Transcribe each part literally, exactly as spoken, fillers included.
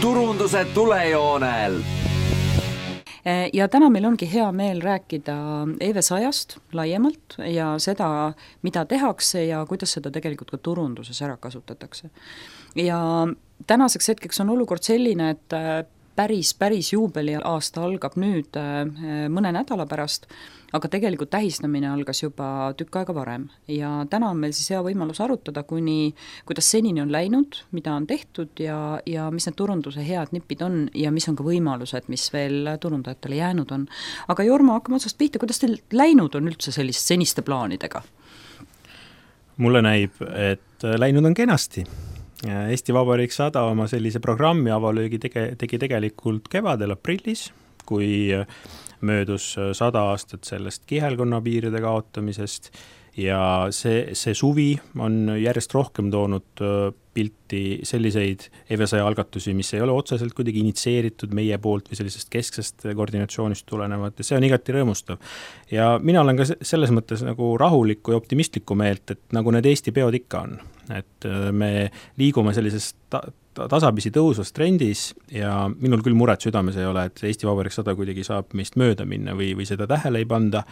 turunduse tulejoonel. Ja täna meil ongi hea meel rääkida E V sajast laiemalt ja seda, mida tehakse ja kuidas seda tegelikult ka turunduses ära kasutatakse. Ja tänaseks hetkeks on olukord selline, et päris, päris juubeli aasta algab nüüd mõne nädala pärast, aga tegelikult tähistamine algas juba tükk aega varem ja täna on meil siis hea võimalus arutada, kuni, kuidas senini on läinud, mida on tehtud ja, ja mis need turunduse head nipid on ja mis on ka võimalused, mis veel turundajatele jäänud on. Aga Jorma, hakkame otsast pihta, kuidas teil läinud on üldse sellist seniste plaanidega? Mulle näib, et läinud on kenasti. Eesti Vabariik sada oma sellise programmi avalöögi tege, tegi tegelikult kevadel aprillis, kui möödus sada aastat sellest kihelkonna piiride kaotamisest ja see, see suvi on järjest rohkem toonud pilti selliseid E V saja algatusi, mis ei ole otseselt kuidagi initseeritud meie poolt või sellisest kesksest koordinatsioonist tulenevat ja see on igati rõõmustav. Ja mina olen ka selles mõttes nagu rahulikku ja optimistlikku meelt, et nagu need Eesti peod ikka on, et me liigume sellisest ta- tasapisi tõusvas trendis ja minul küll muret südames ei ole, et Eesti Vabariik sada kuidagi saab meist mööda minna või, või seda tähele ei panda.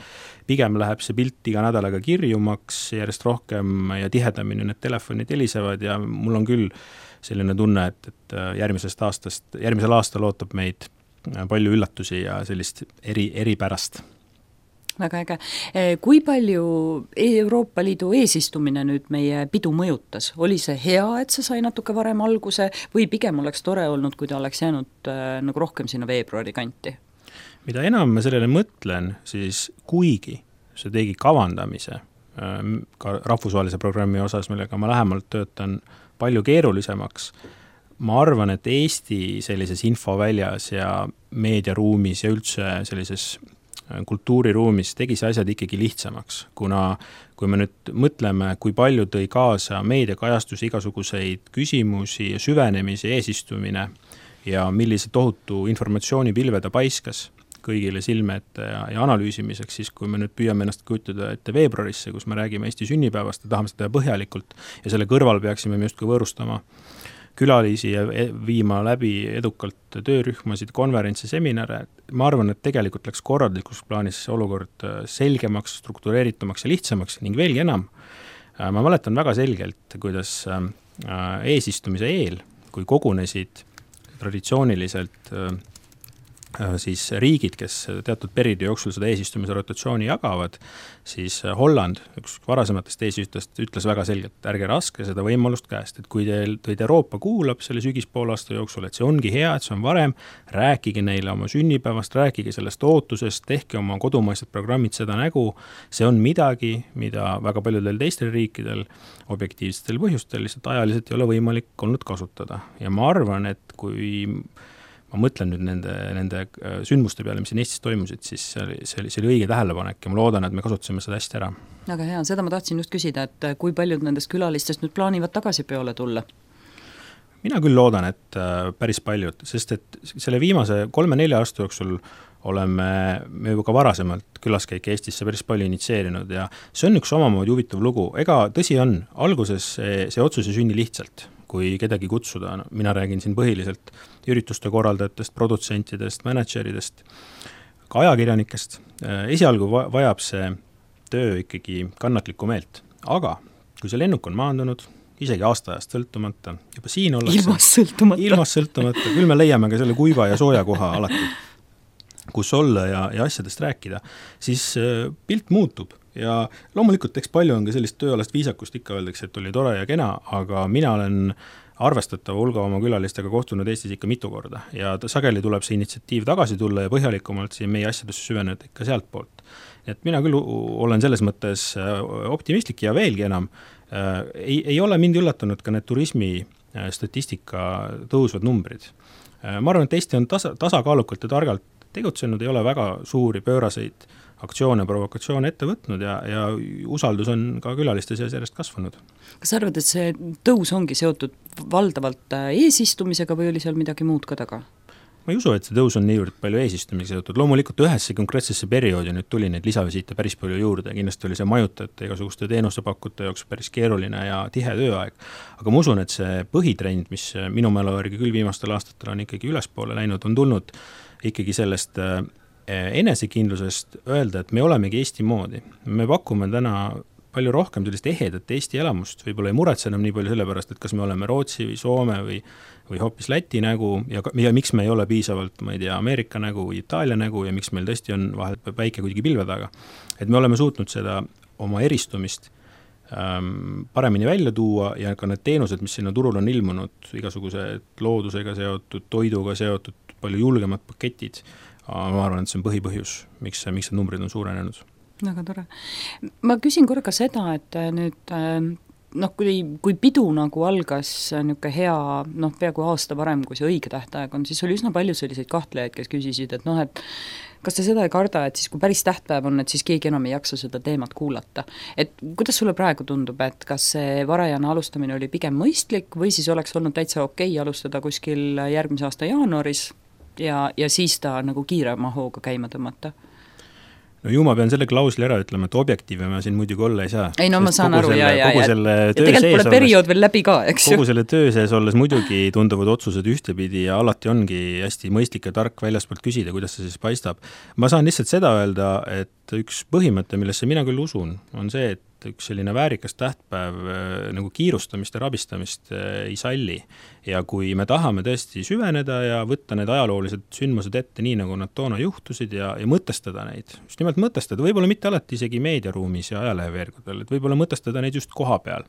Pigem läheb see pilt iga nädalaga kirjumaks, järjest rohkem ja tihedamini need telefonid helisevad ja mul on küll selline tunne, et, et järgmisest aastast, järgmisel aastal ootab meid palju üllatusi ja sellist eri, eripärast. Väga äge. Kui palju Euroopa Liidu eesistumine nüüd meie pidu mõjutas? Oli see hea, et see sai natuke varem alguse või pigem oleks tore olnud, kui ta oleks jäänud äh, nagu rohkem sinna veebruari kanti? Mida enam ma sellele mõtlen, siis kuigi see tegi kavandamise äh, ka rahvusvahelise programmi osas, millega ma lähemalt töötan palju keerulisemaks, ma arvan, et Eesti sellises infoväljas ja meediaruumis ja üldse sellises kultuuriruumis tegi see asjad ikkagi lihtsamaks, kuna kui me nüüd mõtleme, kui palju tõi kaasa meediakajastus igasuguseid küsimusi ja süvenemisi eesistumine ja millise tohutu informatsioonipilve ta paiskas kõigile silme ette ja, ja analüüsimiseks, siis kui me nüüd püüame ennast kujutada ette veebruarisse, kus me räägime Eesti sünnipäevast ja tahame seda põhjalikult ja selle kõrval peaksime me justkui võõrustama külalisi ja viima läbi edukalt töörühmasid, konverentsi, seminare. Ma arvan, et tegelikult läks korraldlikus plaanis olukord selgemaks, struktureeritumaks ja lihtsamaks ning veelgi enam. Ma mäletan väga selgelt, kuidas eesistumise eel, kui kogunesid traditsiooniliselt siis riigid, kes teatud perioodi jooksul seda eesistumise rotatsiooni jagavad, siis Holland, üks varasematest eesistujatest, ütles väga selgelt, ärge raske seda võimalust käest, et kui teil, teid Euroopa kuulab selle sügispoolaasta jooksul, et see ongi hea, et see on varem, rääkige neile oma sünnipäevast, rääkige sellest ootusest, tehke oma kodumaised programmid seda nägu, see on midagi, mida väga paljudel teistel riikidel objektiivsetel põhjustel lihtsalt ajaliselt ei ole võimalik olnud kasutada. Ja ma arvan, et kui ma mõtlen nüüd nende, nende sündmuste peale, mis siin Eestis toimusid, siis see oli, see oli, see oli õige tähelepanek ja ma loodan, et me kasutasime seda hästi ära. Aga hea, seda ma tahtsin just küsida, et kui paljud nendest külalistest nüüd plaanivad tagasi peole tulla? Mina küll loodan, et päris paljud, sest et selle viimase kolme-nelja aasta jooksul oleme me juba ka varasemalt külaskäike Eestisse päris palju initseerinud ja see on üks omamoodi huvitav lugu. Ega tõsi on, alguses see, see otsus ei sünni lihtsalt, kui kedagi kutsuda. Mina räägin siin põhiliselt ürituste korraldajatest, produtsentidest, manageridest, ka ajakirjanikest. Esialgu vajab see töö ikkagi kannatlikku meelt, aga kui see lennuk on maandunud, isegi aastaajast sõltumata, juba siin ollakse ilmas sõltumata, ilmas sõltumata, küll me leiame ka selle kuiva ja sooja koha alati, kus olla ja, ja asjadest rääkida, siis pilt muutub. Ja loomulikult eks palju on ka sellist tööalast viisakust, ikka öeldakse, et oli tore ja kena, aga mina olen arvestatava hulga oma külalistega kohtunud Eestis ikka mitu korda ja sageli tuleb see initsiatiiv tagasi tulla ja põhjalikumalt siin meie asjadesse süveneda ikka sealt poolt. Et mina küll olen selles mõttes optimistlik ja veelgi enam. Ei, ei ole mind üllatanud ka need turismi statistika tõusvad numbrid. Ma arvan, et Eesti on tasa, tasakaalukalt ja targalt tegutsenud, ei ole väga suuri pööraseid aktsioone, provokatsioone ette võtnud ja, ja usaldus on ka külaliste seas järjest kasvanud. Kas arvad, et see tõus ongi seotud valdavalt eesistumisega või oli seal midagi muud ka taga? ma ei usu, et see tõus on niivõrd palju eesistumisega seotud, loomulikult ühesse konkreetsesse perioodi nüüd tuli neid lisavisiite päris palju juurde, kindlasti oli see majutajate igasuguste teenusepakkute jaoks päris keeruline ja tihe tööaeg, aga ma usun, et see põhitrend, mis minu mälu järgi küll viimastel aastatel on ikkagi ülespoole läinud, on tulnud ikkagi sellest enesekindlusest öelda, et me olemegi Eesti moodi. Me pakume täna palju rohkem sellist ehedat Eesti elamust, võib-olla ei muretse enam nii palju selle pärast, et kas me oleme Rootsi või Soome või, või hoopis Läti nägu ja, ja miks me ei ole piisavalt, ma ei tea, Ameerika nägu või Itaalia nägu ja miks meil tõesti on vahel päike kuidagi pilve taga. Et me oleme suutnud seda oma eristumist ähm, paremini välja tuua ja ka need teenused, mis sinna turul on ilmunud, igasugused loodusega seotud, toiduga seotud, palju julgemad paketid, ma arvan, et see on põhipõhjus, miks, miks need numbrid on suurenenud. Väga tore. Ma küsin korra ka seda, et nüüd noh, kui, kui pidu nagu algas niisugune hea, noh, peaaegu aasta varem, kui see õige tähtaeg on, siis oli üsna palju selliseid kahtlejaid, kes küsisid, et noh, et kas te seda ei karda, et siis kui päris tähtpäev on, et siis keegi enam ei jaksa seda teemat kuulata. Et kuidas sulle praegu tundub, et kas see varajane alustamine oli pigem mõistlik või siis oleks olnud täitsa okei alustada kuskil järgmise aasta jaanuaris ja, ja siis ta nagu kiirema hooga käima tõmmata? No ju ma pean selle klausli ära ütlema, et objektiive ma siin muidugi olla ei saa. Ei no ma saan aru, selle, ja, ja, ja tegelikult pole periood veel läbi ka, eks ju. Kogu selle töö sees olles muidugi tunduvad otsused ühtepidi ja alati ongi hästi mõistlik ja tark väljaspoolt küsida, kuidas see siis paistab. Ma saan lihtsalt seda öelda, et üks põhimõte, millesse mina küll usun, on see, et üks selline väärikas tähtpäev nagu kiirustamist ja rabistamist ei salli. Ja kui me tahame tõesti süveneda ja võtta need ajaloolised sündmused ette nii, nagu nad toona juhtusid ja, ja mõtestada neid, just nimelt mõtestada, võib-olla mitte alati isegi meediaruumis ja ajaleheveergudel, et võib-olla mõtestada neid just koha peal,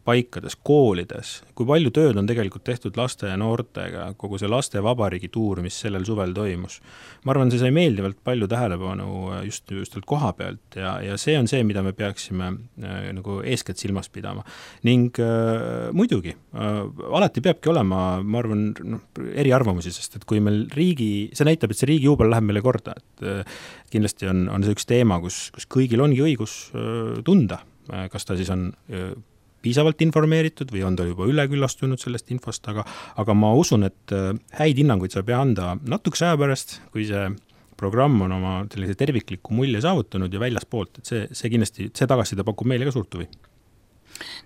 paikades, koolides, kui palju tööd on tegelikult tehtud laste ja noortega, kogu see laste vabariigi tuur, mis sellel suvel toimus. Ma arvan, see sai meeldivalt palju tähelepanu just, just koha pealt ja, ja see on see, mida me peaksime äh, nagu eeskätt silmas pidama. Ning äh, muidugi, äh, alati peabki olema, ma arvan, no, eri arvamusi, sest et kui meil riigi, see näitab, et see riigi juubel läheb meile korda, et äh, kindlasti on, on see üks teema, kus, kus kõigil ongi õigus äh, tunda, äh, kas ta siis on äh, piisavalt informeeritud või on ta juba üleküllastunud sellest infost, aga, aga ma usun, et häid hinnanguid saab anda natukese aja pärast, kui see programm on oma sellise tervikliku mulje saavutanud ja väljas poolt, et see, see kindlasti, see tagasiside pakub meile ka suurt huvi.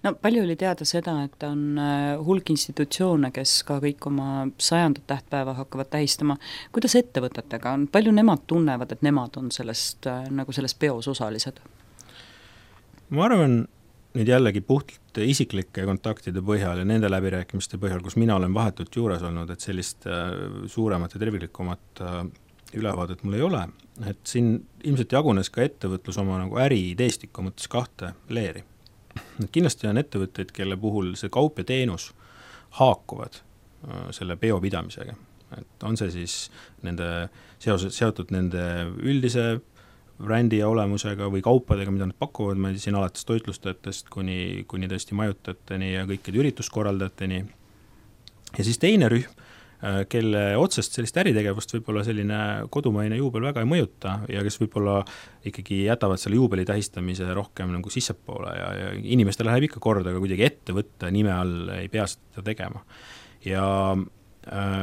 No palju oli teada seda, et on hulk institutsioone, kes ka kõik oma sajandat tähtpäeva hakkavad tähistama. Kuidas ettevõtetega on? Palju nemad tunnevad, et nemad on sellest, nagu sellest peos osalised? Ma arvan, nüüd jällegi puhtalt isiklike kontaktide põhjal ja nende läbirääkimiste põhjal, kus mina olen vahetult juures olnud, et sellist suuremat ja terviklikumat ülevaadet mul ei ole. Et siin ilmselt jagunes ka ettevõtlus oma nagu äri ideestiku mõttes kahte leeri. Et kindlasti on ettevõtteid, kelle puhul see kaup ja teenus haakuvad selle peo pidamisega. Et on see siis nende seoses, seotud nende üldise brändi ja olemusega või kaupadega, mida nad pakuvad, ma siin alates toitlustajatest kuni, kuni tõesti majutajateni ja kõikide ürituskorraldajateni. Ja siis teine rühm, kelle otsest sellist äritegevust võib-olla selline kodumaine juubel väga ei mõjuta ja kes võib-olla ikkagi jätavad selle juubeli tähistamise rohkem nagu sissepoole ja, ja inimestele läheb ikka korda, aga kuidagi ettevõtte nime all ei pea seda tegema. Ja äh,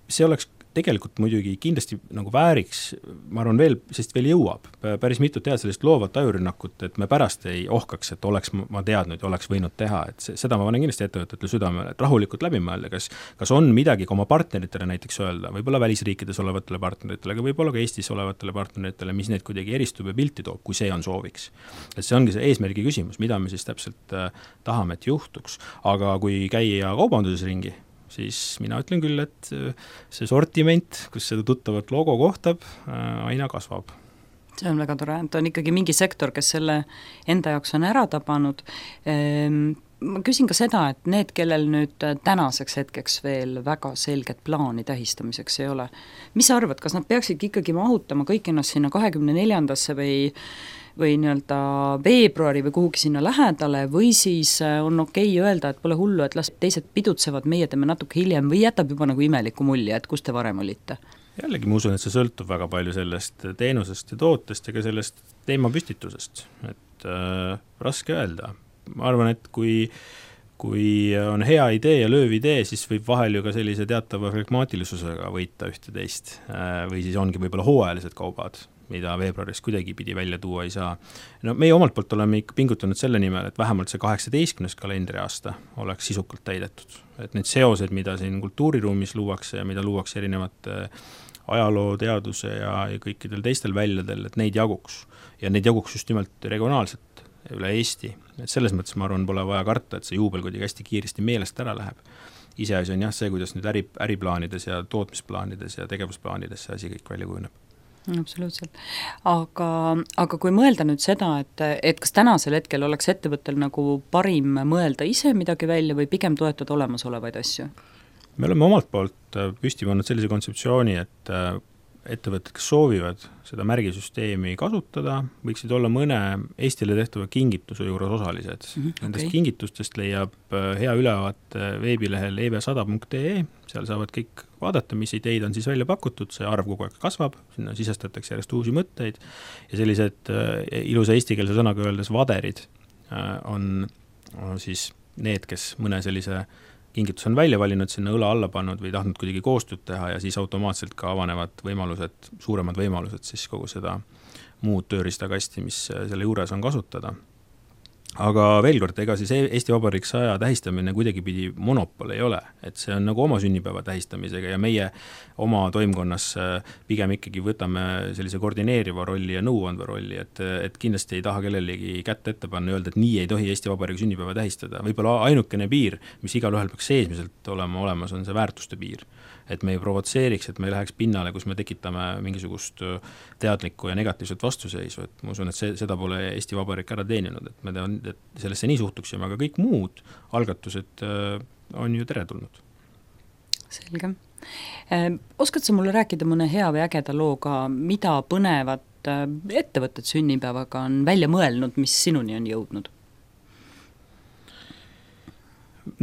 see oleks tegelikult muidugi kindlasti nagu vääriks, ma arvan veel, sest veel jõuab päris mitu tead sellist loovat ajurinnakut, et me pärast ei ohkaks, et oleks ma teadnud ja oleks võinud teha, et see, seda ma panen kindlasti ettevõtetele südamele, et rahulikult läbi mõelda, kas, kas on midagi ka oma partneritele näiteks öelda, võib-olla välisriikides olevatele partneritele, aga võib-olla ka Eestis olevatele partneritele, mis neid kuidagi eristub ja pilti toob, kui see on sooviks. Et see ongi see eesmärgi küsimus, mida me siis täpselt äh, tahame, et juhtuks, aga kui käia kaubanduses ringi, siis mina ütlen küll, et see sortiment, kus seda tuttavat logo kohtab, aina kasvab. See on väga tore, et on ikkagi mingi sektor, kes selle enda jaoks on ära tabanud. Ma küsin ka seda, et need, kellel nüüd tänaseks hetkeks veel väga selget plaani tähistamiseks ei ole, mis sa arvad, kas nad peaksid ikkagi mahutama kõik ennast sinna kahekümne neljandasse või või nii-öelda veebruari või kuhugi sinna lähedale või siis on okei öelda, et pole hullu, et las teised pidutsevad, meie teeme natuke hiljem või jätab juba nagu imeliku mulje, et kus te varem olite? Jällegi ma usun, et see sõltub väga palju sellest teenusest ja tootest ja ka sellest teemapüstitusest, et äh, raske öelda. Ma arvan, et kui kui on hea idee ja lööv idee, siis võib vahel ju ka sellise teatava flegmaatilisusega võita ühte-teist või siis ongi võib-olla hooajalised kaubad, mida veebruaris kuidagi pidi välja tuua ei saa. No meie omalt poolt oleme ikka pingutanud selle nimel, et vähemalt see kaheksateistkümnes kalendriaasta oleks sisukalt täidetud. Et need seosed, mida siin kultuuriruumis luuakse ja mida luuakse erinevate ajaloo, teaduse ja, ja kõikidel teistel väljadel, et neid jaguks. Ja neid jaguks just nimelt regionaalselt üle Eesti. Et selles mõttes ma arvan, pole vaja karta, et see juubel kuidagi hästi kiiresti meelest ära läheb. Ise asi on jah see, kuidas nüüd äri, äriplaanides ja tootmisplaanides ja tegevusplaanides see asi kõik välja kujuneb. Absoluutselt. Aga, aga kui mõelda nüüd seda, et, et kas tänasel hetkel oleks ettevõttel nagu parim mõelda ise midagi välja või pigem toetada olemasolevaid asju? Me oleme omalt poolt püsti pannud sellise kontseptsiooni, et ettevõtted, kes soovivad seda märgisüsteemi kasutada, võiksid olla mõne Eestile tehtava kingituse juures osalised. Mm-hmm, Nendest okay. kingitustest leiab hea ülevaate veebilehel e v sada punkt e e, seal saavad kõik vaadata, mis ideid on siis välja pakutud, see arv kogu aeg kasvab, sinna sisestatakse järjest uusi mõtteid ja sellised ilusa eestikeelse sõnaga öeldes vaderid on, on siis need, kes mõne sellise kingitus on välja valinud, sinna õla alla pannud või tahtnud kuidagi koostööd teha ja siis automaatselt ka avanevad võimalused, suuremad võimalused siis kogu seda muud tööriistakasti, mis selle juures on kasutada. Aga veel kord, ega siis Eesti Vabariik saja tähistamine kuidagi pidi monopol ei ole, et see on nagu oma sünnipäeva tähistamisega ja meie oma toimkonnas pigem ikkagi võtame sellise koordineeriva rolli ja nõuandva rolli, et, et kindlasti ei taha kellelegi kätte ette panna ja öelda, et nii ei tohi Eesti Vabariigi sünnipäeva tähistada. Võib-olla ainukene piir, mis igal ühel peaks seesmiselt olema olemas, on see väärtuste piir. Et me ei provotseeriks, et me ei läheks pinnale, kus me tekitame mingisugust teadlikku ja negatiivset vastuseisu. Et ma usun, et see, seda pole Eesti Vabariik ära teeninud, et me tean, et sellesse nii suhtuksime, aga kõik muud algatused on ju teretulnud. Selge. Oskad sa mulle rääkida mõne hea või ägeda looga, mida põnevat ettevõtted sünnipäevaga on välja mõelnud, mis sinuni on jõudnud?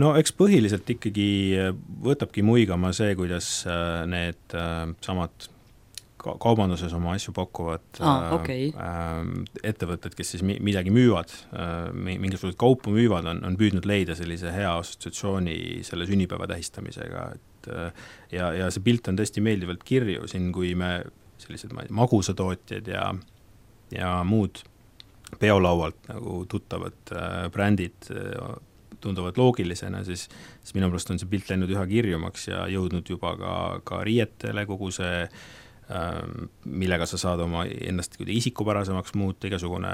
No eks põhiliselt ikkagi võtabki muigama see, kuidas need samad kaubanduses oma asju pakuvad ah, okay. ettevõtted, kes siis midagi müüvad, mingisugused kaupu müüvad, on, on püüdnud leida sellise hea assotsiatsiooni selle sünnipäeva tähistamisega. Et, ja, ja see pilt on tõesti meeldivalt kirju siin, kui me sellised ma ei, magusatootjad ja, ja muud peolaualt nagu tuttavad brändid tunduvad loogilisena, siis, siis minu pärast on see pilt läinud üha kirjumaks ja jõudnud juba ka, ka riietele kogu see, millega sa saad oma ennast isikupärasemaks muuta, igasugune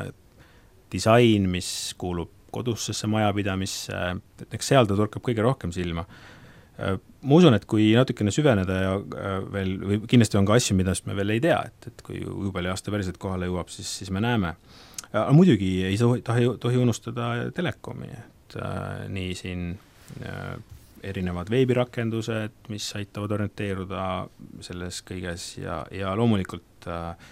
disain, mis kuulub kodussesse majapidamisse, et eks seal ta torkab kõige rohkem silma. Ma usun, et kui natukene süveneda ja veel, või kindlasti on ka asju, mida me veel ei tea, et, et kui juubeli aasta päriselt kohale jõuab, siis, siis me näeme. Aga muidugi ei tohi, tohi unustada telekomi, Äh, nii siin äh, erinevad veebirakendused, mis aitavad orienteeruda selles kõiges ja, ja loomulikult äh,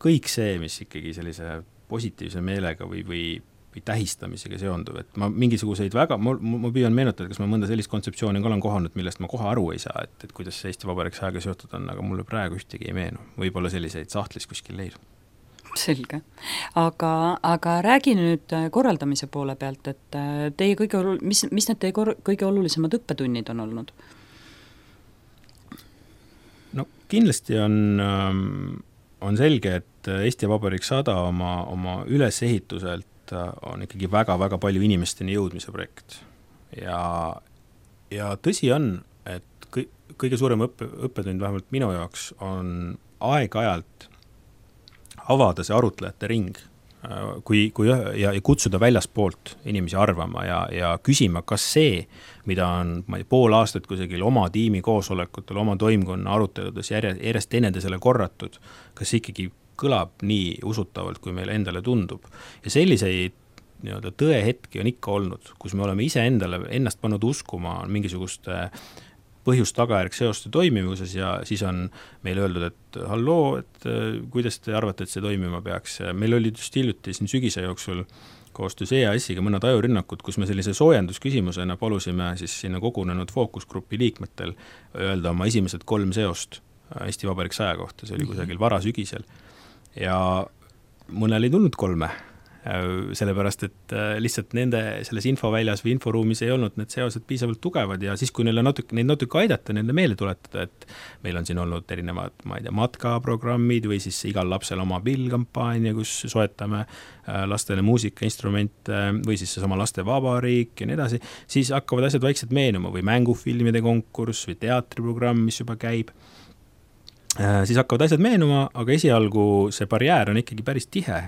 kõik see, mis ikkagi sellise positiivse meelega või, või, või tähistamisega seonduv, et ma mingisuguseid väga, ma, ma püüan meenutada, kas ma mõnda sellist kontseptsiooni olen kohanud, millest ma kohe aru ei saa, et, et kuidas see Eesti Vabariik sajaga seotud on, aga mulle praegu ühtegi ei meenu, võib-olla selliseid sahtlis kuskil leidub. Selge. Aga, aga räägi nüüd korraldamise poole pealt, et teie kõige, mis, mis need teie kor, kõige olulisemad õppetunnid on olnud? No kindlasti on, on selge, et Eesti Vabariik sada oma, oma ülesehituselt on ikkagi väga-väga palju inimesteni jõudmise projekt. Ja, ja tõsi on, et kõige suurem õppe, õppetund vähemalt minu jaoks on aeg-ajalt avada see arutlejate ring kui, kui, ja, ja kutsuda väljaspoolt inimesi arvama ja, ja küsima, kas see, mida on ma ei, pool aastat kusagil oma tiimi koosolekutel, oma toimkonna aruteludes järjest, järjest teineteisele korratud, kas ikkagi kõlab nii usutavalt, kui meile endale tundub. Ja selliseid nii-öelda tõehetki on ikka olnud, kus me oleme ise endale ennast pannud uskuma mingisuguste põhjust tagajärg seoste toimivuses ja siis on meile öeldud, et halloo, et kuidas te arvate, et see toimima peaks. Meil oli just hiljuti siin sügise jooksul koostöös E A S-iga mõned ajurünnakud, kus me sellise soojendusküsimusena palusime siis sinna kogunenud fookusgrupi liikmetel öelda oma esimesed kolm seost Eesti Vabariik saja kohta, see oli kusagil varasügisel. Ja mõnel ei tulnud kolme, sellepärast, et lihtsalt nende selles infoväljas või inforuumis ei olnud need seosed piisavalt tugevad ja siis, kui neile natuke, neid natuke aidata, neile meelde tuletada, et meil on siin olnud erinevad, ma ei tea, matkaprogrammid või siis igal lapsel oma pillkampaania, kus soetame lastele muusikainstrumente või siis seesama laste vabariik ja nii edasi, siis hakkavad asjad vaikselt meenuma või mängufilmide konkurss või teatriprogramm, mis juba käib. Siis hakkavad asjad meenuma, aga esialgu see barjäär on ikkagi päris tihe,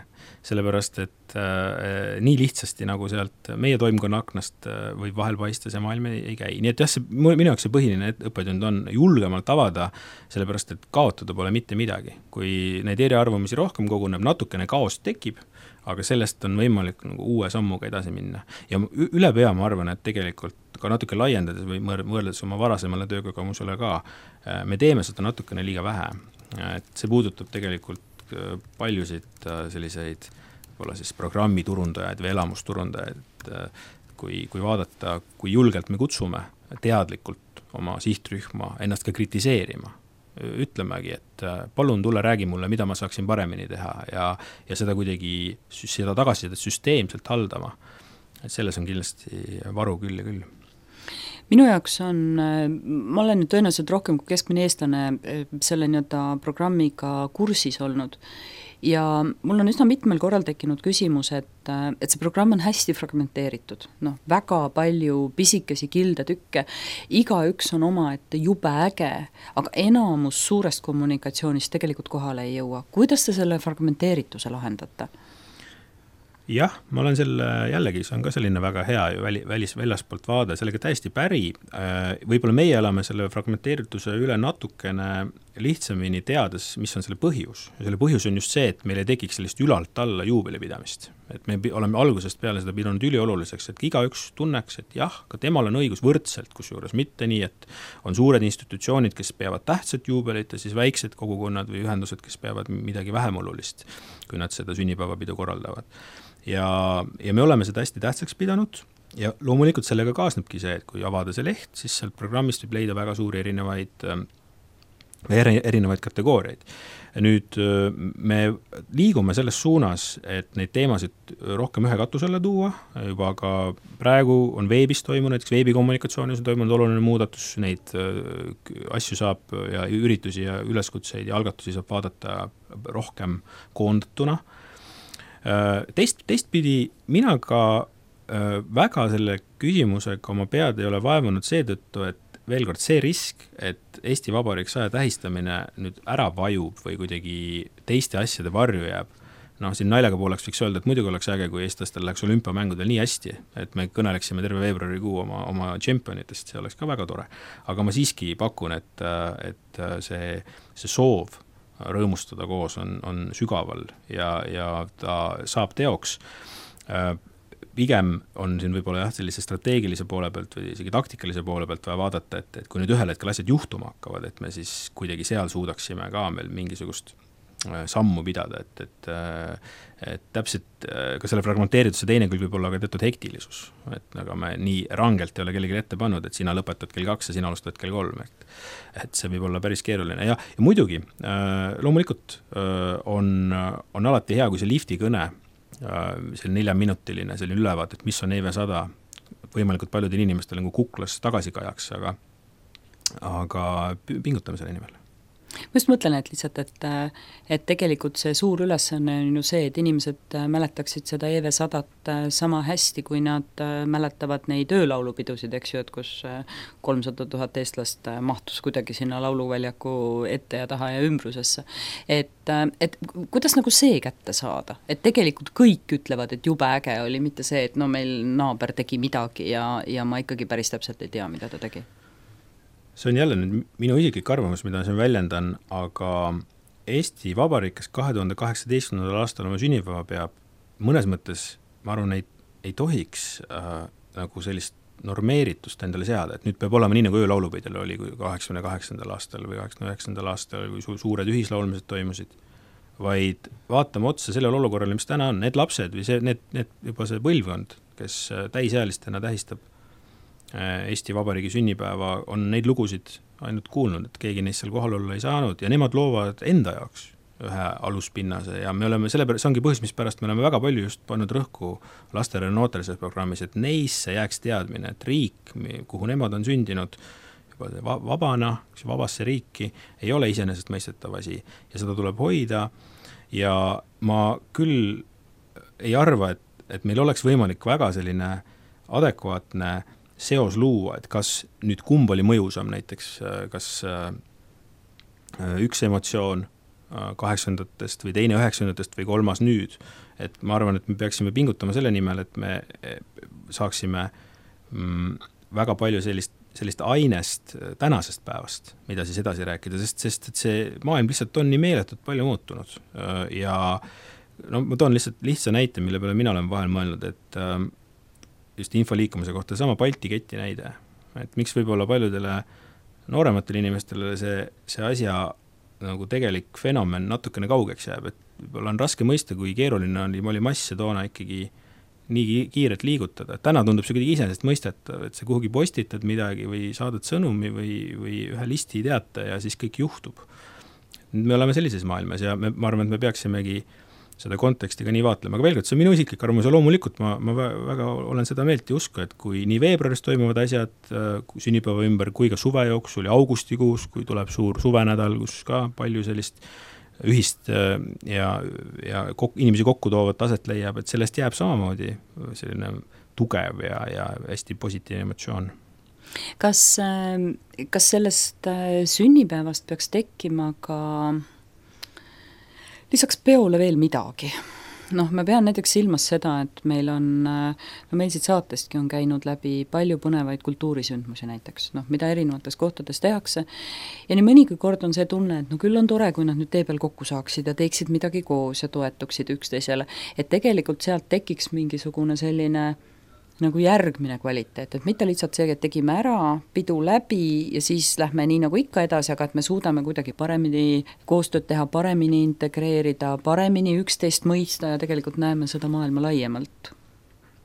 sellepärast, et äh, nii lihtsasti nagu sealt meie toimkonna aknast äh, võib vahel paista see maailm ei, ei käi. Nii et jah, see, minu jaoks see põhiline õppetund on julgemalt avada, sellepärast, et kaotada pole mitte midagi. Kui neid eriarvamusi rohkem koguneb, natukene kaost tekib, aga sellest on võimalik nagu uue sammuga edasi minna. Ja üle pea ma arvan, et tegelikult ka natuke laiendades või mõeldes oma varasemale töökogemusele ka, me teeme seda natukene liiga vähe. Et see puudutab tegelikult paljusid selliseid võib-olla siis programmiturundajaid või elamusturundajaid, kui, kui vaadata, kui julgelt me kutsume teadlikult oma sihtrühma ennast ka kritiseerima. Ütlemegi, et palun tule räägi mulle, mida ma saaksin paremini teha ja, ja seda kuidagi seda tagasisidet süsteemselt haldama. Et selles on kindlasti varu küll ja küll. Minu jaoks on, ma olen tõenäoliselt rohkem kui keskmine eestlane selle nii-öelda programmiga kursis olnud ja mul on üsna mitmel korral tekkinud küsimus, et, et see programm on hästi fragmenteeritud, noh, väga palju pisikesi kildetükke, iga üks on oma, et jube äge, aga enamus suurest kommunikatsioonist tegelikult kohale ei jõua. Kuidas te selle fragmenteerituse lahendate? Jah, ma olen selle, jällegi, see on ka selline väga hea ju väli, välis, väljaspoolt vaade, sellega täiesti päri. Võib-olla meie elame selle fragmenteerituse üle natukene lihtsamini teades, mis on selle põhjus. Ja selle põhjus on just see, et meil ei tekiks sellist ülalt alla juubelipidamist. Et me oleme algusest peale seda pidanud ülioluliseks, et iga üks tunneks, et jah, ka temal on õigus võrdselt, kusjuures mitte nii, et on suured institutsioonid, kes peavad tähtsat juubelit ja siis väiksed kogukonnad või ühendused, kes peavad midagi vähem olulist, kui nad seda sünnipäevapidu korraldavad. Ja, ja me oleme seda hästi tähtsaks pidanud ja loomulikult sellega kaasnebki see, et kui avada see leht, siis sealt programmist võib leida väga suuri erinevaid, erinevaid kategooriaid. Nüüd me liigume selles suunas, et neid teemasid rohkem ühe katusele tuua, juba ka praegu on veebis toimunud, näiteks veebikommunikatsioonis on toimunud oluline muudatus, neid asju saab ja üritusi ja üleskutseid ja algatusi saab vaadata rohkem koondatuna. Teist, teistpidi mina ka väga selle küsimusega oma pead ei ole vaevanud seetõttu, et veel kord see risk, et Eesti Vabariik saja tähistamine nüüd ära vajub või kuidagi teiste asjade varju jääb. Noh, siin naljaga pooleks võiks öelda, et muidugi oleks äge, kui eestlastel läheks olümpiamängudel nii hästi, et me kõneleksime terve veebruarikuu oma, oma tšempionitest, see oleks ka väga tore. Aga ma siiski pakun, et, et see, see soov rõõmustada koos on, on sügaval ja, ja ta saab teoks. Pigem on siin võib-olla jah, sellise strateegilise poole pealt või isegi taktikalise poole pealt vaja vaadata, et, et kui nüüd ühel hetkel asjad juhtuma hakkavad, et me siis kuidagi seal suudaksime ka meil mingisugust sammu pidada, et, et, et täpselt ka selle fragmenteerituse teine küll võib olla ka teatud hektilisus, et aga me nii rangelt ei ole kellegi ette pannud, et sina lõpetad kell kaks ja sina alustad kell kolm, et, et see võib olla päris keeruline ja, ja muidugi loomulikult on, on alati hea, kui see lifti kõne, see neljaminutiline selline ülevaat, et mis on E V sada võimalikult paljudel inimestel nagu kuklas tagasi kajaks, aga, aga pingutame selle nimel. Ma just mõtlen, et lihtsalt, et, et tegelikult see suur ülesanne on ju see, et inimesed mäletaksid seda E V sadat sama hästi, kui nad mäletavad neid öölaulupidusid, eks ju, et kus kolmsada tuhat eestlast mahtus kuidagi sinna lauluväljaku ette ja taha ja ümbrusesse. Et, et kuidas nagu see kätte saada? Et tegelikult kõik ütlevad, et jube äge oli, mitte see, et no meil naaber tegi midagi ja, ja ma ikkagi päris täpselt ei tea, mida ta tegi. See on jälle nüüd minu isiklik arvamus, mida siin väljendan, aga Eesti Vabariik, kes kahe tuhande kaheksateistkümnendal aastal oma sünnipäeva peab, mõnes mõttes, ma arvan, ei, ei tohiks äh, nagu sellist normeeritust endale seada, et nüüd peab olema nii, nagu öölaulupeidel oli kaheksakümne kaheksandal aastal või kaheksakümne üheksandal aastal, kui su- suured ühislaulmised toimusid, vaid vaatame otsa sellele olukorrale, mis täna on, need lapsed või see, need, need juba see põlvkond, kes täisealistena tähistab Eesti Vabariigi sünnipäeva, on neid lugusid ainult kuulnud, et keegi neist seal kohal olla ei saanud ja nemad loovad enda jaoks ühe aluspinnase ja me oleme selle pärast, see ongi põhjus, mis pärast me oleme väga palju just pannud rõhku lastele ja noortele selles programmis, et neisse jääks teadmine, et riik, kuhu nemad on sündinud, juba vabana, vabasse riiki, ei ole iseenesestmõistetav asi ja seda tuleb hoida ja ma küll ei arva, et, et meil oleks võimalik väga selline adekvaatne seos luua, et kas nüüd kumb oli mõjusam näiteks, kas üks emotsioon kaheksandatest või teine üheksandatest või kolmas nüüd, et ma arvan, et me peaksime pingutama selle nimel, et me saaksime mm, väga palju sellist, sellist ainest tänasest päevast, mida siis edasi rääkida, sest, sest et see maailm lihtsalt on nii meeletult palju muutunud ja no ma toon lihtsalt lihtsa näite, mille peale mina olen vahel mõelnud, et just infoliikumise kohta sama Balti keti näide, et miks võib-olla paljudele noorematele inimestele see, see asja nagu tegelik fenomen natukene kaugeks jääb, et võib-olla on raske mõista, kui keeruline oli, oli masse toona ikkagi nii kiirelt liigutada. Täna tundub see kuidagi iseenesest mõistetav, et sa kuhugi postitad midagi või saadad sõnumi või, või ühe listi teate ja siis kõik juhtub. Me oleme sellises maailmas ja me, ma arvan, et me peaksimegi seda konteksti ka nii vaatlema. Aga veel kord, see on minu isiklik arvamus ja loomulikult ma, ma väga olen seda meelt ja usku, et kui nii veebruaris toimuvad asjad sünnipäeva ümber kui ka suve jooksul ja augustikuus, kui tuleb suur suvenädal, kus ka palju sellist ühist ja, ja kok, inimesi kokku toovat aset leiab, et sellest jääb samamoodi selline tugev ja, ja hästi positiivne emotsioon. Kas, kas sellest sünnipäevast peaks tekkima ka lisaks peole veel midagi? Noh, ma pean näiteks silmas seda, et meil on, no meil siit saatestki on käinud läbi palju põnevaid kultuurisündmusi näiteks, noh, mida erinevates kohtades tehakse ja nii mõnigi kord on see tunne, et no küll on tore, kui nad nüüd tee peal kokku saaksid ja teeksid midagi koos ja toetuksid üksteisele, et tegelikult sealt tekiks mingisugune selline nagu järgmine kvaliteet, et mitte lihtsalt see, et tegime ära, pidu läbi ja siis lähme nii nagu ikka edasi, aga et me suudame kuidagi paremini koostööd teha, paremini integreerida, paremini üksteist mõista ja tegelikult näeme seda maailma laiemalt.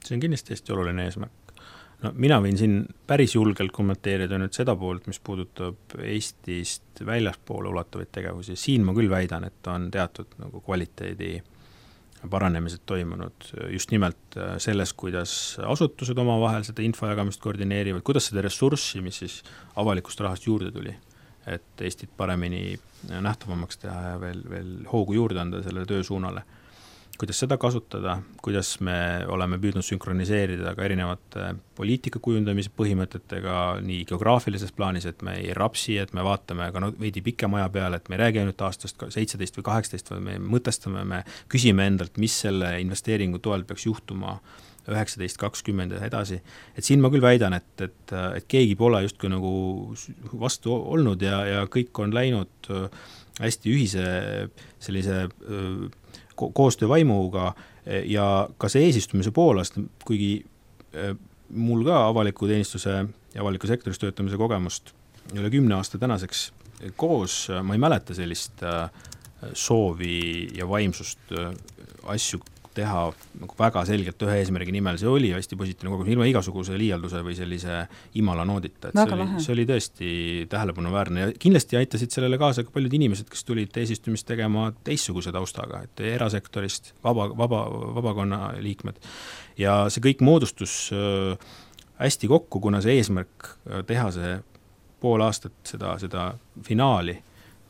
See on kindlasti hästi oluline eesmärk. No, mina võin siin päris julgelt kommenteerida nüüd seda poolt, mis puudutab Eestist väljaspoole ulatuvaid tegevusi. Siin ma küll väidan, et on teatud nagu kvaliteedi paranemised toimunud just nimelt selles, kuidas asutused omavahel seda infojagamist koordineerivad, kuidas seda ressurssi, mis siis avalikust rahast juurde tuli, et Eestit paremini nähtavamaks teha ja veel, veel hoogu juurde anda sellele töösuunale. Kuidas seda kasutada, kuidas me oleme püüdnud sünkroniseerida ka erinevate poliitika kujundamise põhimõtetega nii geograafilises plaanis, et me ei rapsi, et me vaatame ka no, veidi pikema aja peale, et me ei räägi ainult aastast seitseteist või kaheksateist, vaid me mõtestame, me küsime endalt, mis selle investeeringu toel peaks juhtuma üheksateist kakskümmend ja edasi. Et siin ma küll väidan, et, et, et keegi pole justkui nagu vastu olnud ja, ja kõik on läinud hästi ühise sellise ko- koostöövaimuga ja ka see eesistumise poolast, kuigi mul ka avaliku teenistuse ja avaliku sektoris töötamise kogemust üle kümne aasta tänaseks koos, ma ei mäleta sellist soovi ja vaimsust asju teha nagu väga selgelt ühe eesmärgi nimel, see oli hästi positiivne kogemus, ilma igasuguse liialduse või sellise imala noodita, et see oli, see oli tõesti tähelepanuväärne ja kindlasti aitasid sellele kaasa ka paljud inimesed, kes tulid eesistumist tegema teistsuguse taustaga, et erasektorist, vaba, vaba, vabakonna liikmed ja see kõik moodustus hästi kokku, kuna see eesmärk teha see pool aastat seda, seda finaali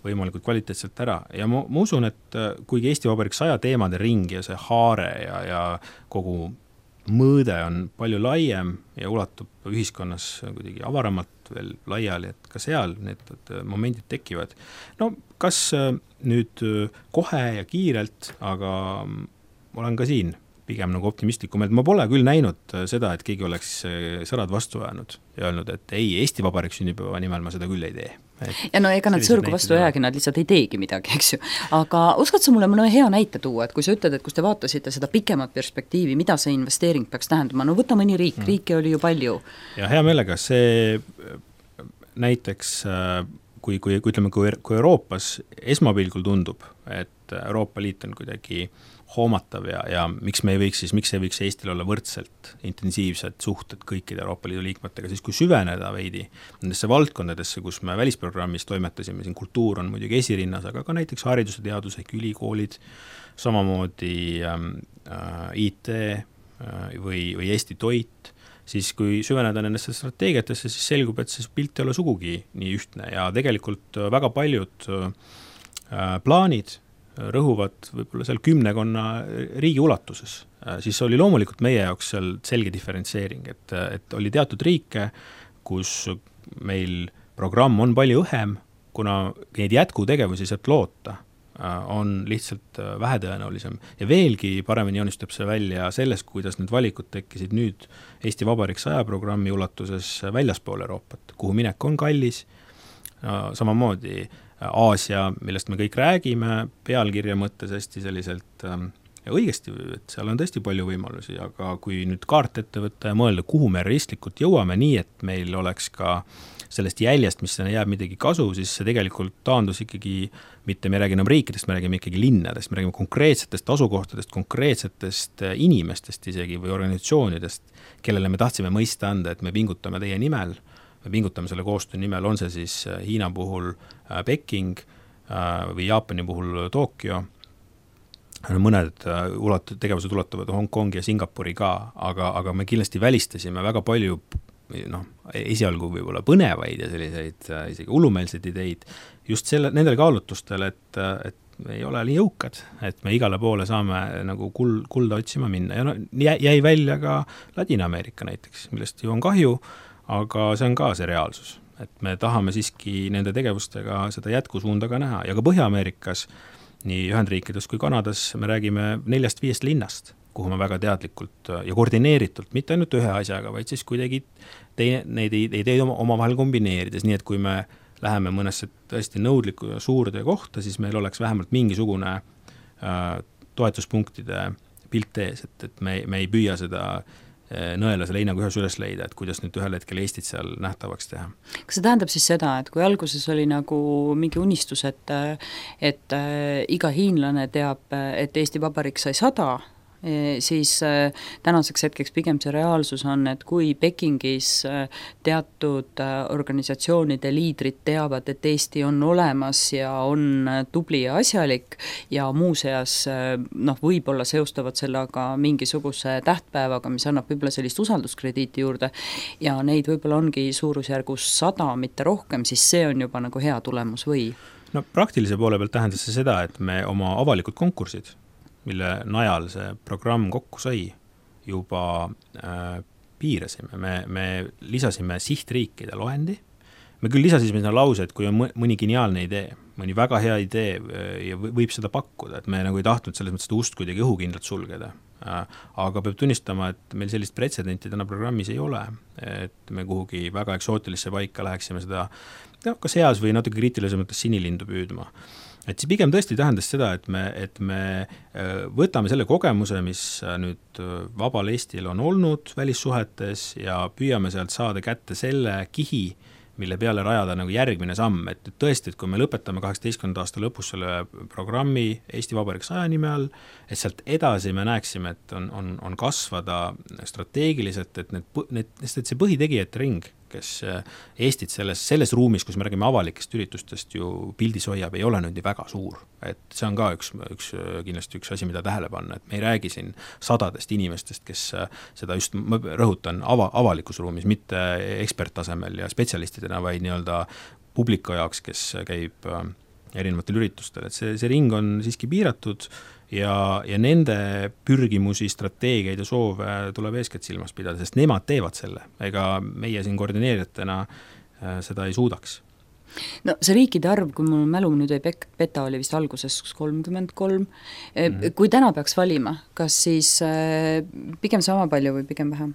võimalikult kvaliteetselt ära ja ma, ma usun, et kuigi Eesti Vabariik saja teemade ring ja see haare ja, ja kogu mõõde on palju laiem ja ulatub ühiskonnas kuidagi avaramalt veel laiali, et ka seal need momendid tekivad. No kas nüüd kohe ja kiirelt, aga olen ka siin pigem nagu optimistlikum, et ma pole küll näinud seda, et keegi oleks sõrad vastu ajanud ja öelnud, et ei, Eesti Vabariik sünnipäeva nimel ma seda küll ei tee. Et ja no ega nad sõrgu vastu jäägi, nad lihtsalt ei teegi midagi, eks ju. Aga oskad sa mulle mõne hea näite tuua, et kui sa ütled, et kus te vaatasite seda pikemat perspektiivi, mida see investeering peaks tähendama, no võta mõni riik, riike oli ju palju. Ja hea meelega, see näiteks kui, kui, kui ütleme, kui, kui Euroopas esmapilgul tundub, et Euroopa Liit on kuidagi hoomatav ja, ja miks me ei võiks siis, miks ei võiks Eestil olla võrdselt intensiivsed suhted kõikide Euroopa Liidu liikmetega, siis kui süveneda veidi nendesse valdkondadesse, kus me välisprogrammis toimetasime, siin kultuur on muidugi esirinnas, aga ka näiteks hariduse teadus ehk ülikoolid, samamoodi äh, I T äh, või, või Eesti toit, siis kui süveneda nendesse strateegiatesse, siis selgub, et see pilt ei ole sugugi nii ühtne ja tegelikult väga paljud äh, plaanid rõhuvad võib-olla seal kümnekonna riigi ulatuses, siis oli loomulikult meie jaoks seal selge diferentseering, et, et oli teatud riike, kus meil programm on palju õhem, kuna neid jätkutegevusi sealt loota on lihtsalt vähetõenäolisem. Ja veelgi paremini joonistab see välja sellest, kuidas need valikud tekkisid nüüd Eesti Vabariik saja programmi ulatuses väljaspool Euroopat, kuhu minek on kallis, samamoodi Aasia, millest me kõik räägime, pealkirja mõttes hästi selliselt ähm, ja õigesti, et seal on tõesti palju võimalusi, aga kui nüüd kaart ette võtta ja mõelda, kuhu me realistlikult jõuame nii, et meil oleks ka sellest jäljest, mis sinna jääb midagi kasu, siis see tegelikult taandus ikkagi, mitte me räägime enam riikidest, me räägime ikkagi linnadest, me räägime konkreetsetest asukohtadest, konkreetsetest inimestest isegi või organisatsioonidest, kellele me tahtsime mõista anda, et me pingutame teie nimel, me pingutame selle koostöö nimel, on see siis Hiina puhul Peking või Jaapani puhul Tokyo, mõned ulat-, tegevused ulatuvad Hong Kongi ja Singapuri ka, aga, aga me kindlasti välistasime väga palju noh, esialgu võib-olla põnevaid ja selliseid isegi hullumeelseid ideid just selle, nendel kaalutlustel, et, et me ei ole nii jõukad, et me igale poole saame nagu kul, kulda otsima minna ja no, jäi välja ka Ladina-Ameerika näiteks, millest ju on kahju, aga see on ka see reaalsus, et me tahame siiski nende tegevustega seda jätkusuunda ka näha ja ka Põhja-Ameerikas, nii Ühendriikides kui Kanadas me räägime neljast viiest linnast, kuhu me väga teadlikult ja koordineeritult, mitte ainult ühe asjaga, vaid siis kuidagi teine, neid ideid oma, omavahel kombineerides, nii et kui me läheme mõnesse tõesti nõudliku ja suurde kohta, siis meil oleks vähemalt mingisugune äh, toetuspunktide pilt ees, et, et me, me ei püüa seda nõela selle heinaga ühes üles leida, et kuidas nüüd ühel hetkel Eestit seal nähtavaks teha. Kas see tähendab siis seda, et kui alguses oli nagu mingi unistus, et, et iga hiinlane teab, et Eesti Vabariik sai sada, siis tänaseks hetkeks pigem see reaalsus on, et kui Pekingis teatud organisatsioonide liidrid teavad, et Eesti on olemas ja on tubli ja asjalik ja muuseas noh, võib-olla seostavad sellega mingisuguse tähtpäevaga, mis annab võib-olla sellist usalduskrediiti juurde ja neid võib-olla ongi suurusjärgus sada, mitte rohkem, siis see on juba nagu hea tulemus või? No praktilise poole pealt tähendas see seda, et me oma avalikud konkursid, mille najal see programm kokku sai, juba äh, piirasime. Me, me lisasime sihtriikide loendi. Me küll lisasime sinna lause, et kui on mõni geniaalne idee, mõni väga hea idee ja võib seda pakkuda, et me nagu ei tahtnud selles mõttes seda ust kuidagi õhukindlalt sulgeda. Äh, aga peab tunnistama, et meil sellist pretsedenti täna programmis ei ole, et me kuhugi väga eksootilisse paika läheksime seda no, kas heas või natuke kriitilisem mõttes sinilindu püüdma. Et see pigem tõesti tähendas seda, et me, et me võtame selle kogemuse, mis nüüd vabal Eestil on olnud välissuhetes ja püüame sealt saada kätte selle kihi, mille peale rajada nagu järgmine samm, et tõesti, et kui me lõpetame kaheksateistkümnenda aasta lõpus selle programmi Eesti Vabariik saja nime all, et sealt edasi me näeksime, et on, on, on kasvada strateegiliselt, et, need, need, et see põhitegijate ring, kes Eestit selles, selles ruumis, kus me räägime avalikest üritustest ju pildis hoiab, ei ole nüüd väga suur. Et see on ka üks, üks, kindlasti üks asi, mida tähele panna, et me ei räägi siin sadadest inimestest, kes seda just, ma rõhutan, ava, avalikus ruumis, mitte eksperttasemel ja spetsialistidena, vaid nii-öelda publika jaoks, kes käib erinevatel üritustel, et see, see ring on siiski piiratud ja, ja nende pürgimusi, strateegiaid ja soove tuleb eeskätt silmas pidada, sest nemad teevad selle, ega meie siin koordineerijatena seda ei suudaks. No see riikide arv, kui mul mälu nüüd ei peta, oli vist alguses kolmkümmend kolm. Mm-hmm. Kui täna peaks valima, kas siis pigem sama palju või pigem vähem?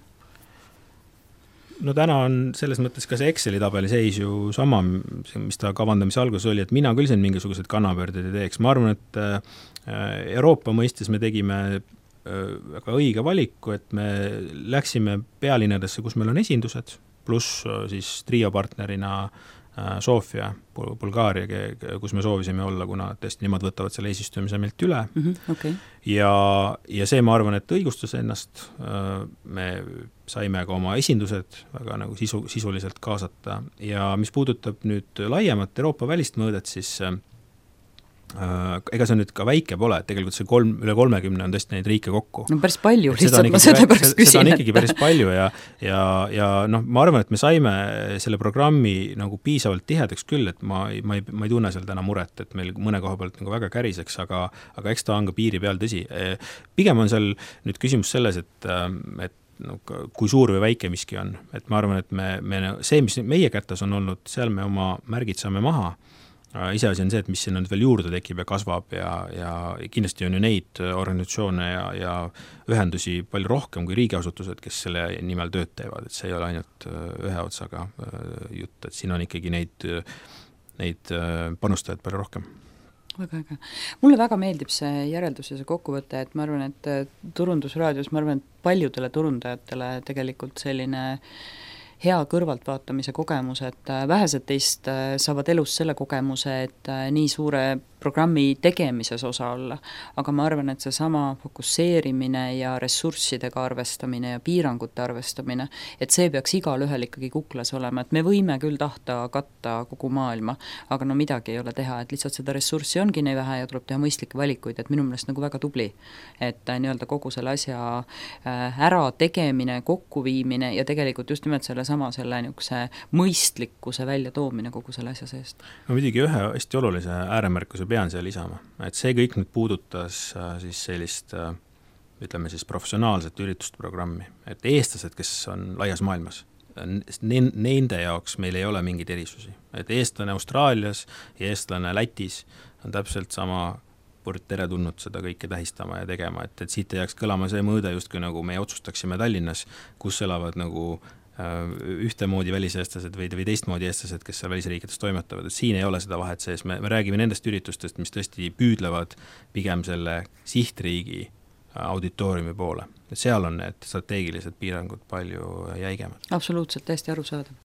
No täna on selles mõttes ka see Exceli tabeli seis ju sama, mis ta kavandamise alguses oli, et mina küll siin mingisugused kannapöörded ei teeks. Ma arvan, et Euroopa mõistes me tegime väga õige valiku, et me läksime pealinnadesse, kus meil on esindused, pluss siis trio partnerina Sofia, Bulgaaria, kus me soovisime olla, kuna tõesti nemad võtavad selle eesistumise meilt üle mm. -hmm, okay. ja, ja see, ma arvan, et õigustas ennast, me saime ka oma esindused väga nagu sisu, sisuliselt kaasata ja mis puudutab nüüd laiemat Euroopa välist mõõdet, siis ega see nüüd ka väike pole, et tegelikult see kolm, üle kolmekümne on tõesti neid riike kokku. No päris palju, lihtsalt ma seda pärast küsin. Seda on ikkagi päris palju ja, ja, ja noh, ma arvan, et me saime selle programmi nagu piisavalt tihedaks küll, et ma, ma, ei, ma ei tunne seal täna muret, et meil mõne koha pealt nagu väga käriseks, aga, aga eks ta on ka piiri peal tõsi. Pigem on seal nüüd küsimus selles, et, et no, kui suur või väike miski on. Et ma arvan, et me, me, see, mis meie kätes on olnud, seal me oma märgid saame maha. Iseasi on see, et mis sinna nüüd veel juurde tekib ja kasvab ja, ja kindlasti on ju neid organisatsioone ja, ja ühendusi palju rohkem kui riigiasutused, kes selle nimel tööd teevad, et see ei ole ainult ühe otsaga jutt, et siin on ikkagi neid, neid panustajaid palju rohkem. Väga äge. Mulle väga meeldib see järeldus ja see kokkuvõte, et ma arvan, et turundusraadios, ma arvan, et paljudele turundajatele tegelikult selline hea kõrvaltvaatamise kogemus, et vähesed teist saavad elus selle kogemuse, et nii suure programmi tegemises osa olla, aga ma arvan, et see sama fokusseerimine ja ressurssidega arvestamine ja piirangute arvestamine, et see peaks igal ühel ikkagi kuklas olema, et me võime küll tahta katta kogu maailma, aga no midagi ei ole teha, et lihtsalt seda ressurssi ongi nii vähe ja tuleb teha mõistlikke valikuid, et minu meelest nagu väga tubli, et nii-öelda kogu selle asja ära tegemine, kokkuviimine ja tegelikult just nimelt selle sama selle niisuguse mõistlikkuse välja toomine kogu selle asja seest. No midagi ühe hästi olulise ääremärkuse pean seal lisama, et see kõik nüüd puudutas siis sellist, ütleme siis professionaalset üritusprogrammi, et eestlased, kes on laias maailmas, nende jaoks meil ei ole mingeid erisusi, et eestlane Austraalias ja eestlane Lätis on täpselt sama poolt tere tulnud seda kõike tähistama ja tegema, et, et siit ei jääks kõlama see mõõde just kui nagu me otsustaksime Tallinnas, kus elavad nagu ühtemoodi väliseestlased või, või teistmoodi eestlased, kes seal välisriikides toimetavad, et siin ei ole seda vahet sees, me, me räägime nendest üritustest, mis tõesti püüdlevad pigem selle sihtriigi auditooriumi poole, et seal on need strateegilised piirangud palju jäigemad. Absoluutselt, täiesti arusaadav.